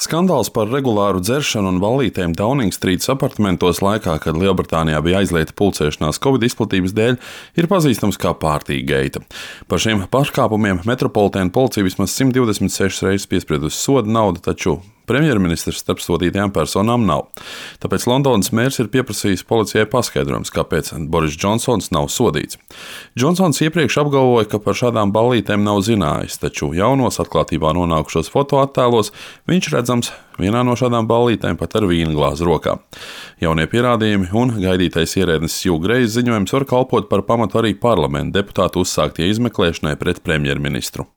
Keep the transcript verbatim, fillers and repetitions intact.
Skandāls par regulāru dzeršanu un ballītēm Downing-strītas apartamentos laikā, kad Lielbritānijā bija aizliegta pulcēšanās Covid izplatības dēļ, ir pazīstams kā Partygate. Par šiem pārkāpumiem Metropolitēna policija vismaz simt divdesmit sešas reizes piespriedusi soda naudu, taču premjerministrs starp sodītajām personām nav. Tāpēc Londonas mērs ir pieprasījis policijai paskaidrojums, kāpēc Boris Džonsons nav sodīts. Džonsons iepriekš apgalvoja, ka par šādām ballītēm nav zinājis, taču jaunos atklātībā nonākušos fotoattēlos viņš redzams vienā no šādām ballītēm pat ar vīna glāzi rokā. Jaunie pierādījumi un gaidītais ierēdnis Hugh Grey's ziņojums var kalpot par pamatu arī parlamenta deputātu uzsāktie izmeklēšanai pret premjerministru.